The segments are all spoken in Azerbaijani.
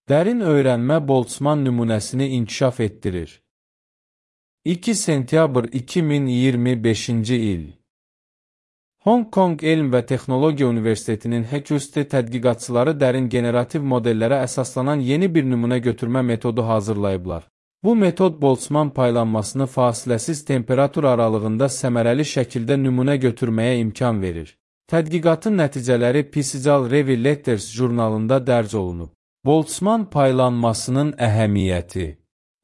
Dərin öyrənmə Boltzmann nümunəsini inkişaf etdirir. 2 sentyabr 2025-ci il. Hong Kong Elm və Texnologiya Universitetinin HECUST tədqiqatçıları dərin generativ modellərə əsaslanan yeni bir nümunə götürmə metodu hazırlayıblar. Bu metod Boltzmann paylanmasını fasiləsiz temperatur aralığında səmərəli şəkildə nümunə götürməyə imkan verir. Tədqiqatın nəticələri PCL Review Letters jurnalında dərc olunub. Boltzmann paylanmasının əhəmiyyəti.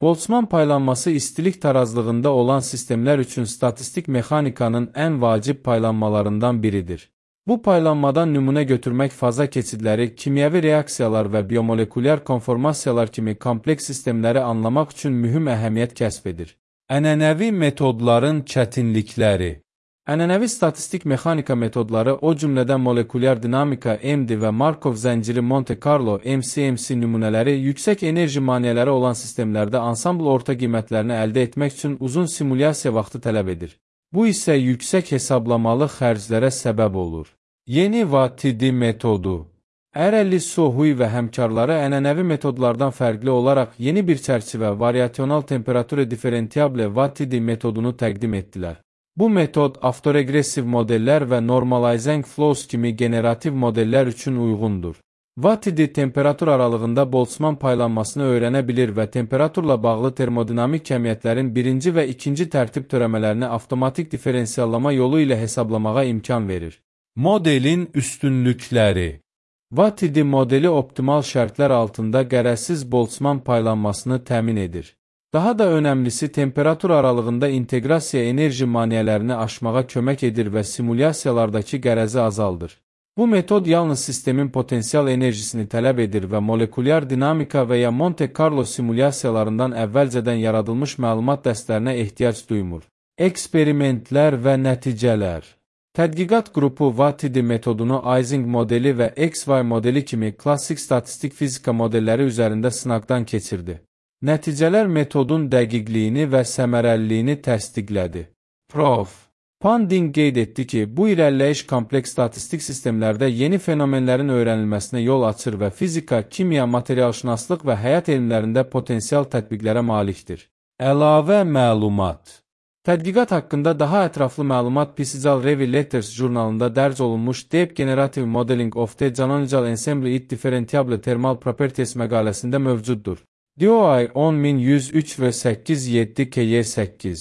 Boltzmann paylanması istilik tarazlığında olan sistemlər üçün statistik mexanikanın ən vacib paylanmalarından biridir. Bu paylanmadan nümunə götürmək faza keçidləri, kimyəvi reaksiyalar və biomolekulyar konformasiyalar kimi kompleks sistemləri anlamaq üçün mühüm əhəmiyyət kəsb edir. Ənənəvi metodların çətinlikləri. Ənənəvi statistik mexanika metodları, o cümlədən molekulyar dinamika MD və Markov zənciri Monte Carlo MCMC nümunələri yüksək enerji maneələri olan sistemlərdə ansambl orta qiymətlərini əldə etmək üçün uzun simulyasiya vaxtı tələb edir. Bu isə yüksək hesablamalı xərclərə səbəb olur. Yeni VATD metodu. Ərəlli Sohui və həmkarları ənənəvi metodlardan fərqli olaraq yeni bir çərçivə variasional temperatura differentiable VATD metodunu təqdim etdilər. Bu metod avtoregressiv modellər və normalizing flows kimi generativ modellər üçün uyğundur. VATD temperatur aralığında Boltzmann paylanmasını öyrənə bilir və temperaturla bağlı termodinamik kəmiyyətlərin birinci və ikinci tərtib törəmələrini avtomatik diferensiyallama yolu ilə hesablamağa imkan verir. Modelin üstünlükləri. VATD modeli optimal şərtlər altında qərəzsiz Boltzmann paylanmasını təmin edir. Daha da önəmlisi, temperatur aralığında inteqrasiya enerji maneələrini aşmağa kömək edir və simulyasiyalardakı qərəzi azaldır. Bu metod yalnız sistemin potensial enerjisini tələb edir və molekulyar dinamika və ya Monte Carlo simulyasiyalarından əvvəlcədən yaradılmış məlumat dəstlərinə ehtiyac duymur. Eksperimentlər və nəticələr. Tədqiqat qrupu VATD metodunu Ising modeli və XY modeli kimi klassik statistik fizika modelləri üzərində sınaqdan keçirdi. Nəticələr metodun dəqiqliyini və səmərəliliyini təsdiqlədi. Prof. Panding qeyd etdi ki, bu irəliləyiş kompleks statistik sistemlərdə yeni fenomenlərin öyrənilməsinə yol açır və fizika, kimya, materialşünaslıq və həyat elmlərində potensial tətbiqlərə malikdir. Əlavə məlumat. Tədqiqat haqqında daha ətraflı məlumat PCL Review Letters jurnalında dərc olunmuş Deep Generative Modeling of the Canonical Ensemble it Differentiable Thermal Properties məqaləsində mövcuddur. DOI 10103 və 87KY8